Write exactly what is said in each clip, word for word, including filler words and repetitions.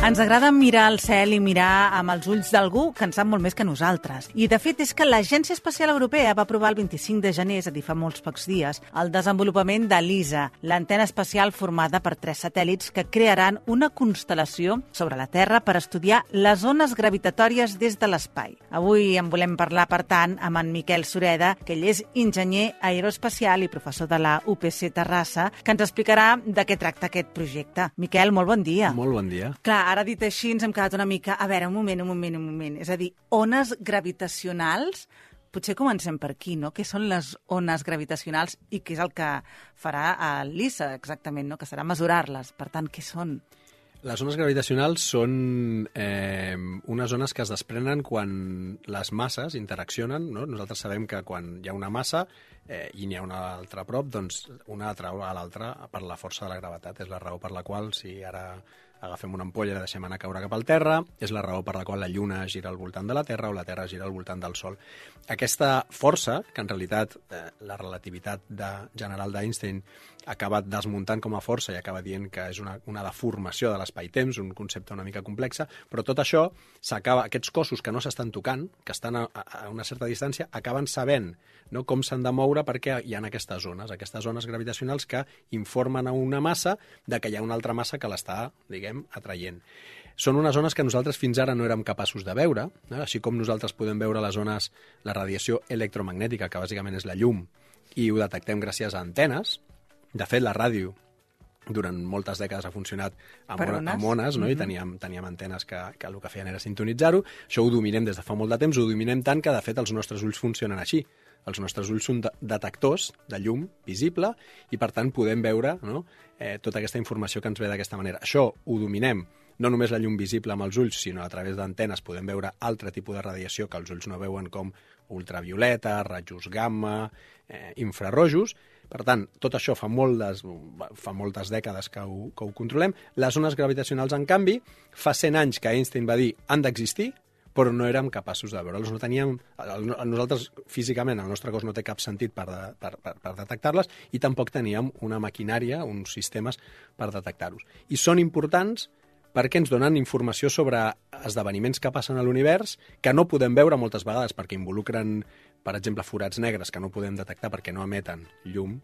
Ens agrada mirar al cel i mirar amb els ulls d'algú que en sap molt més que nosaltres. I, de fet, és que l'Agència Espacial Europea va aprovar el vint-i-cinc de gener, és a dir, fa molts pocs dies, el desenvolupament de l'ISA, l'antena espacial formada per tres satèl·lits que crearan una constel·lació sobre la Terra per estudiar les ones gravitatòries des de l'espai. Avui en volem parlar, per tant, amb en Miquel Sureda, que ell és enginyer aeroespacial i professor de la U P C Terrassa, que ens explicarà de què tracta aquest projecte. Miquel, molt bon dia. Molt bon dia. Clar, ara dit així ens hem quedat una mica... A veure, un moment, un moment, un moment. És a dir, ones gravitacionals... Potser comencem per aquí, no? Què són les ones gravitacionals i què és el que farà l'ISA, exactament, no? Que serà mesurar-les. Per tant, què són? Les ones gravitacionals són eh, unes ones que es desprenen quan les masses interaccionen, no? Nosaltres sabem que quan hi ha una massa eh, i n'hi ha una altra a prop, doncs una atrau a l'altra per la força de la gravetat. És la raó per la qual, si ara agafem una ampolla i la deixem anar a caure cap al terra, és la raó per la qual la Lluna gira al voltant de la Terra o la Terra gira al voltant del Sol. Aquesta força, que en realitat eh, la relativitat de, general d'Einstein acaba desmuntant com a força i acaba dient que és una, una deformació de l'espai-temps, un concepte una mica complex, però tot això s'acaba, aquests cossos que no s'estan tocant, que estan a, a una certa distància, acaben sabent, no, com s'han de moure perquè hi ha aquestes zones, aquestes zones gravitacionals que informen a una massa de que hi ha una altra massa que l'està, diguem, atraient. Són unes zones que nosaltres fins ara no érem capaços de veure, eh? Així com nosaltres podem veure les zones, la radiació electromagnètica, que bàsicament és la llum, i ho detectem gràcies a antenes. De fet, la ràdio durant moltes dècades ha funcionat amb, ones? amb ones, no? Mm-hmm. I teníem, teníem antenes que, que el que feien era sintonitzar-ho. Això ho dominem des de fa molt de temps, ho dominem tant que, de fet, els nostres ulls funcionen així. Els nostres ulls són de detectors de llum visible i, per tant, podem veure, no, eh, tota aquesta informació que ens ve d'aquesta manera. Això ho dominem, no només la llum visible amb els ulls, sinó a través d'antenes podem veure altre tipus de radiació que els ulls no veuen, com ultravioleta, rajos gamma, eh, infrarrojos. Per tant, tot això fa moltes, fa moltes dècades que ho, que ho controlem. Les ones gravitacionals, en canvi, fa cent anys que Einstein va dir han d'existir, però no érem capaços de veure'ls. No teníem, nosaltres, físicament, el nostre cos no té cap sentit per, de, per, per, per detectar-les i tampoc teníem una maquinària, uns sistemes per detectar-los. I són importants perquè ens donen informació sobre esdeveniments que passen a l'univers que no podem veure moltes vegades perquè involucren, per exemple, forats negres que no podem detectar perquè no emeten llum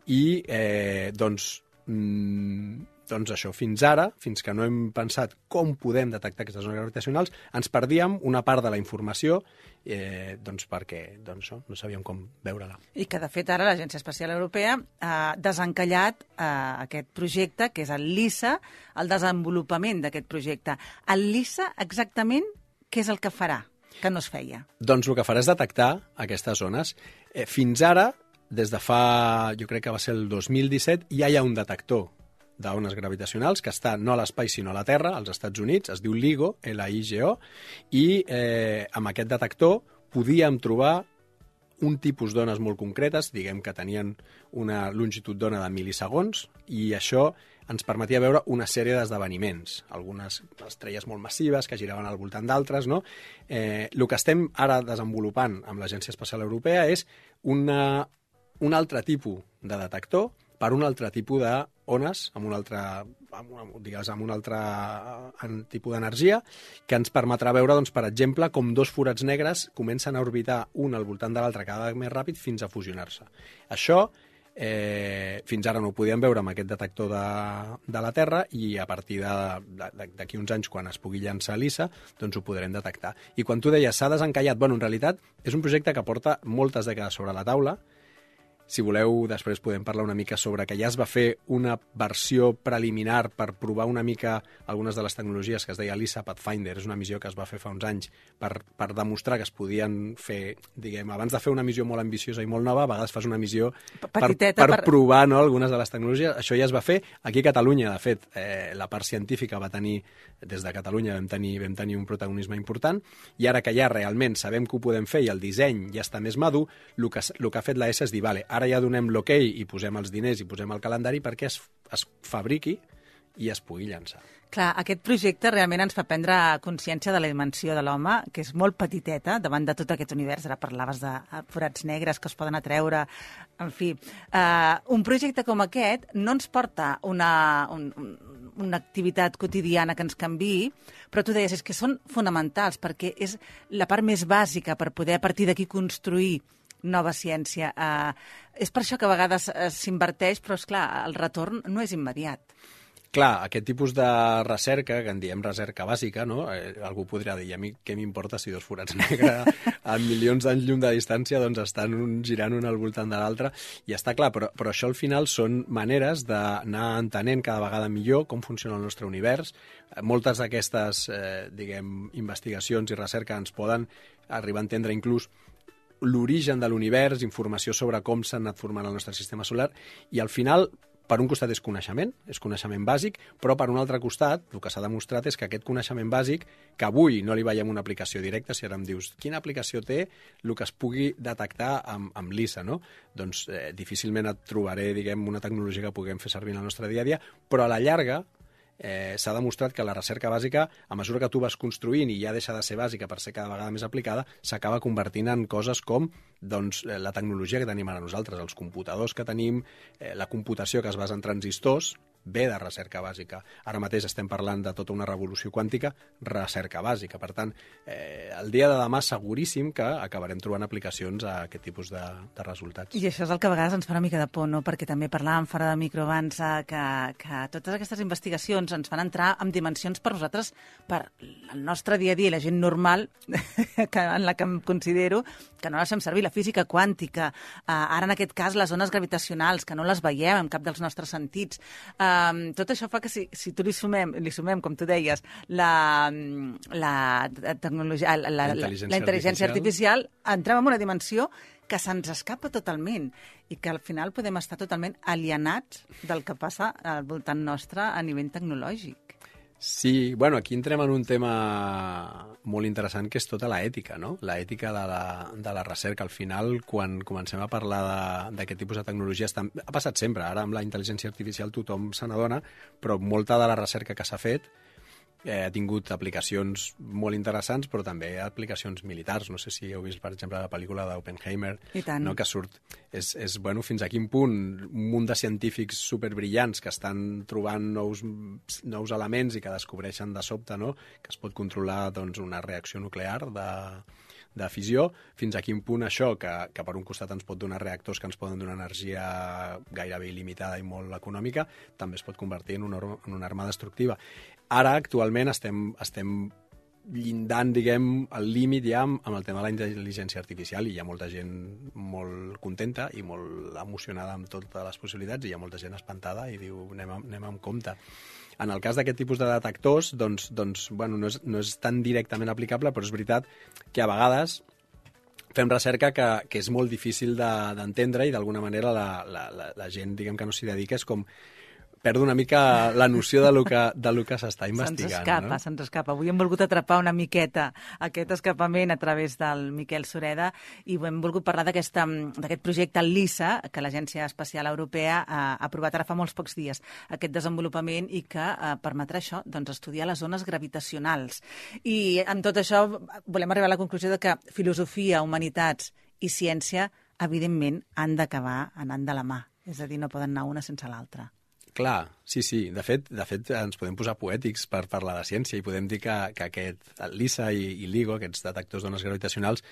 i, eh, doncs, mm, doncs això, fins ara, fins que no hem pensat com podem detectar aquestes zones gravitacionals, ens perdíem una part de la informació eh, doncs perquè doncs, no, no sabíem com veure-la. I que, de fet, ara l'Agència Espacial Europea ha desencallat eh, aquest projecte, que és el LISA, el desenvolupament d'aquest projecte. El LISA, exactament, què és el que farà, que no es feia? Doncs el que farà és detectar aquestes zones. Eh, fins ara, des de fa, jo crec que va ser el dos mil disset, ja hi ha un detector d'ones gravitacionals que està no a l'espai sinó a la Terra, als Estats Units, es diu LIGO, L I G O, i eh, amb aquest detector podíem trobar un tipus d'ones molt concretes, diguem que tenien una longitud d'ona de mil·lisegons, i això ens permetia veure una sèrie d'esdeveniments, algunes estrelles molt massives que giraven al voltant d'altres, no? Eh, el que estem ara desenvolupant amb l'Agència Espacial Europea és una, un altre tipus de detector per un altre tipus d'ones, amb un altre, amb una, digues, amb un altre tipus d'energia, que ens permetrà veure, doncs, per exemple, com dos forats negres comencen a orbitar un al voltant de l'altre cada vegada més ràpid fins a fusionar-se. Això, eh, fins ara no ho podíem veure amb aquest detector de, de la Terra i a partir d'aquí uns anys, quan es pugui llançar l'ISA, doncs ho podrem detectar. I quan tu deies s'ha desencallat, bueno, en realitat és un projecte que porta moltes dècades sobre la taula. Si voleu, després podem parlar una mica sobre que ja es va fer una versió preliminar per provar una mica algunes de les tecnologies que es deia l'ISA Pathfinder. És una missió que es va fer fa uns anys per, per demostrar que es podien fer, diguem, abans de fer una missió molt ambiciosa i molt nova, a vegades fas una missió per, per, per provar, no, algunes de les tecnologies. Això ja es va fer aquí a Catalunya. De fet, eh, la part científica va tenir, des de Catalunya vam tenir, vam tenir un protagonisme important, i ara que ja realment sabem que ho podem fer i el disseny ja està més madur, el que, el que ha fet l'E S A és dir, vale, ara ja donem l'ok i posem els diners i posem el calendari perquè es, es fabriqui i es pugui llançar. Clar, aquest projecte realment ens fa prendre consciència de la dimensió de l'home, que és molt petiteta davant de tot aquest univers. Ara parlaves de forats negres que es poden atreure. En fi, uh, un projecte com aquest no ens porta una, un, una activitat quotidiana que ens canviï, però tu deies, és que són fonamentals, perquè és la part més bàsica per poder a partir d'aquí construir nova ciència. Uh, és per això que a vegades uh, s'inverteix, però, és clar, el retorn no és immediat. Clar, aquest tipus de recerca, que en diem recerca bàsica, no? Eh, algú podria dir, a mi què m'importa si dos forats negres a milions d'anys llum de distància doncs estan un, girant un al voltant de l'altre, i està clar, però, però això al final són maneres d'anar entenent cada vegada millor com funciona el nostre univers. Moltes d'aquestes, eh, diguem, investigacions i recerca ens poden arribar a entendre inclús l'origen de l'univers, informació sobre com s'ha anat formant el nostre sistema solar, i al final, per un costat és coneixement, és coneixement bàsic, però per un altre costat, el que s'ha demostrat és que aquest coneixement bàsic, que avui no li veiem una aplicació directa, si ara em dius quina aplicació té el que es pugui detectar amb, amb l'ISA, no? Doncs eh, difícilment et trobaré, diguem, una tecnologia que puguem fer servir en el nostre dia a dia, però a la llarga eh, s'ha demostrat que la recerca bàsica, a mesura que tu vas construint i ja deixa de ser bàsica per ser cada vegada més aplicada, s'acaba convertint en coses com doncs, la tecnologia que tenim ara nosaltres, els computadors que tenim, eh, la computació que es basa en transistors, ve de recerca bàsica. Ara mateix estem parlant de tota una revolució quàntica, recerca bàsica. Per tant, eh, el dia de demà seguríssim que acabarem trobant aplicacions a aquest tipus de, de resultats. I això és el que a vegades ens fa una mica de por, no? Perquè també parlàvem fora de micro abans eh, que, que totes aquestes investigacions ens fan entrar en dimensions per nosaltres, per el nostre dia a dia, la gent normal, que, en la que em considero, que no les fem servir, la física quàntica, eh, ara en aquest cas les ones gravitacionals, que no les veiem en cap dels nostres sentits. Um, tot això fa que si, si tu li sumem, li sumem, com tu deies, la, la tecnologia, la, la, la, la intel·ligència artificial, entrem en una dimensió que se'ns escapa totalment i que al final podem estar totalment alienats del que passa al voltant nostre a nivell tecnològic. Sí, bueno, aquí entrem en un tema molt interessant que és tota l'ètica, no? L'ètica de la, de la recerca. Al final, quan comencem a parlar d'aquest tipus de tecnologies, ha passat sempre. Ara amb la intel·ligència artificial tothom se n'adona, però molta de la recerca que s'ha fet eh, ha tingut aplicacions molt interessants, però també aplicacions militars. No sé si heu vist, per exemple, la pel·lícula d'Oppenheimer, no? Que surt... És, és, bueno, fins a quin punt un munt de científics superbrillants que estan trobant nous, nous elements i que descobreixen de sobte, no? Que es pot controlar doncs, una reacció nuclear de, de fissió, fins a quin punt això, que, que per un costat ens pot donar reactors que ens poden donar energia gairebé il·limitada i molt econòmica, també es pot convertir en una, en una arma destructiva. Ara, actualment, estem, estem llindant, diguem, el límit ja amb, amb el tema de la intel·ligència artificial, i hi ha molta gent molt contenta i molt emocionada amb totes les possibilitats, i hi ha molta gent espantada i diu anem, anem amb compte. En el cas d'aquest tipus de detectors, doncs, doncs bueno, no, és, no és tan directament aplicable, però és veritat que a vegades fem recerca que, que és molt difícil d'entendre de, i d'alguna manera la, la, la, la gent, diguem, que no s'hi dedica és com perd una mica la noció de lo que, de lo que s'està investigant. Se'ns escapa, no? Se'ns escapa. Avui hem volgut atrapar una miqueta aquest escapament a través del Miquel Sureda i hem volgut parlar d'aquest projecte, el LISA, que l'Agència Espacial Europea ha aprovat ara fa molts pocs dies, aquest desenvolupament, i que eh, permetrà això, doncs, estudiar les ones gravitacionals. I amb tot això volem arribar a la conclusió de que filosofia, humanitats i ciència, evidentment, han d'acabar anant de la mà. És a dir, no poden anar una sense l'altra. Clar, sí, sí. De fet, de fet, ens podem posar poètics per parlar de ciència i podem dir que, que aquest, el LISA i, i l'IGO, aquests detectors d'ones gravitacionals,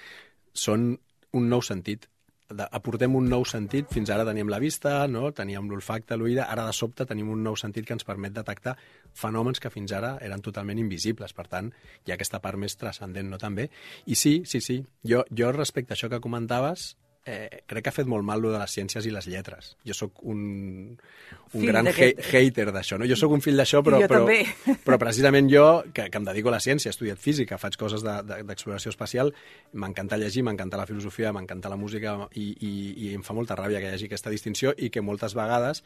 són un nou sentit. De, aportem un nou sentit. Fins ara teníem la vista, no? Teníem l'olfacte, l'oïda, ara de sobte tenim un nou sentit que ens permet detectar fenòmens que fins ara eren totalment invisibles. Per tant, hi ha aquesta part més transcendent, no, també? I sí, sí, sí. Jo, jo respecte a això que comentaves, Eh, crec que ha fet molt mal lo de les ciències i les lletres. Jo sóc un, un gran he hater d'això, no? Jo sóc un fill d'això, però, però, però precisament jo, que, que em dedico a la ciència, he estudiat física, faig coses d'exploració de, de, espacial, m'encanta llegir, m'encanta la filosofia, m'encanta la música, i, i, i em fa molta ràbia que hi hagi aquesta distinció i que moltes vegades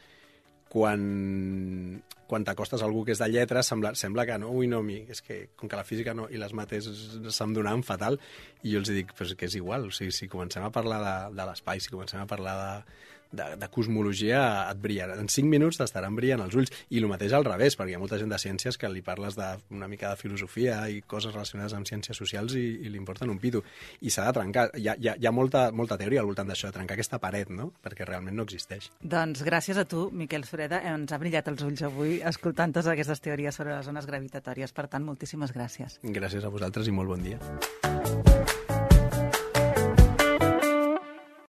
quan, quan t'acostes a algú que és de lletres sembla, sembla que no, ui, no, mi, és que com que la física no, i les mates se'm donaven fatal, i jo els dic, però és que és igual, o sigui, si comencem a parlar de, de l'espai, si comencem a parlar de, de, de cosmologia et brillarà. En cinc minuts t'estaran brillant els ulls. I el mateix al revés, perquè hi ha molta gent de ciències que li parles d'una mica de filosofia i coses relacionades amb ciències socials i, i li importen un pito. I s'ha de trencar. Hi ha, hi ha, hi ha molta, molta teoria al voltant d'això, de trencar aquesta paret, no? Perquè realment no existeix. Doncs gràcies a tu, Miquel Sureda, ens ha brillat els ulls avui escoltant totes aquestes teories sobre les zones gravitatòries. Per tant, moltíssimes gràcies. Gràcies a vosaltres i molt bon dia.